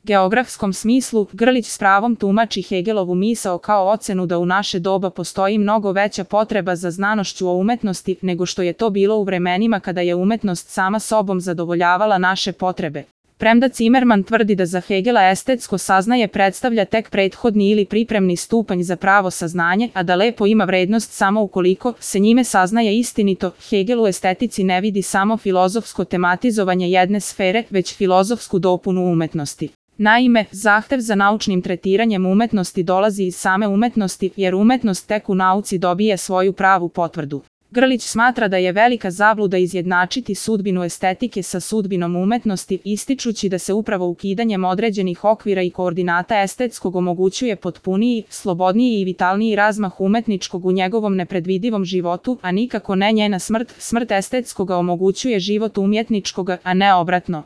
geografskom smislu, Grlić s pravom tumači Hegelovu misao kao ocenu da u naše doba postoji mnogo veća potreba za znanošću o umetnosti nego što je to bilo u vremenima kada je umetnost sama sobom zadovoljavala naše potrebe. Premda Zimmerman tvrdi da za Hegela estetsko saznanje predstavlja tek prethodni ili pripremni stupanj za pravo saznanje, a da lepo ima vrednost samo ukoliko se njime saznaje istinito, Hegel u estetici ne vidi samo filozofsko tematizovanje jedne sfere, već filozofsku dopunu umetnosti. Naime, zahtev za naučnim tretiranjem umetnosti dolazi iz same umetnosti, jer umetnost tek u nauci dobije svoju pravu potvrdu. Grlić smatra da je velika zabluda izjednačiti sudbinu estetike sa sudbinom umetnosti, ističući da se upravo ukidanjem određenih okvira i koordinata estetskog omogućuje potpuniji, slobodniji i vitalniji razmah umetničkog u njegovom nepredvidivom životu, a nikako ne njena smrt. Smrt estetskoga omogućuje život umjetničkoga, a ne obratno.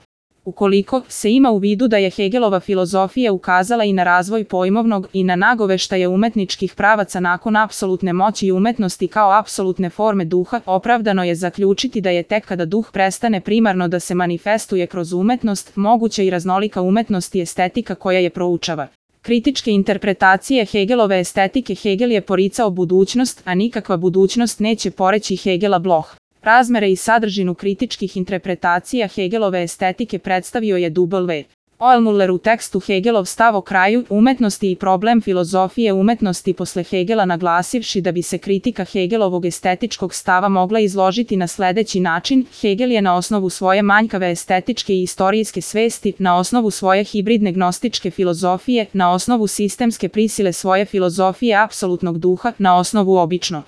Ukoliko se ima u vidu da je Hegelova filozofija ukazala i na razvoj pojmovnog i na nagoveštaje umetničkih pravaca nakon apsolutne moći i umetnosti kao apsolutne forme duha, opravdano je zaključiti da je tek kada duh prestane primarno da se manifestuje kroz umetnost, moguća i raznolika umetnost i estetika koja je proučava. Kritičke interpretacije Hegelove estetike. Hegel je poricao budućnost, a nikakva budućnost neće poreći Hegela Bloch. Razmere i sadržinu kritičkih interpretacija Hegelove estetike predstavio je W. Ohlmüller u tekstu Hegelov stav o kraju umetnosti i problem filozofije umetnosti posle Hegela, naglasivši da bi se kritika Hegelovog estetičkog stava mogla izložiti na sledeći način: Hegel je na osnovu svoje manjkave estetičke i istorijske svesti, na osnovu svoje hibridne gnostičke filozofije, na osnovu sistemske prisile svoje filozofije apsolutnog duha, na osnovu obično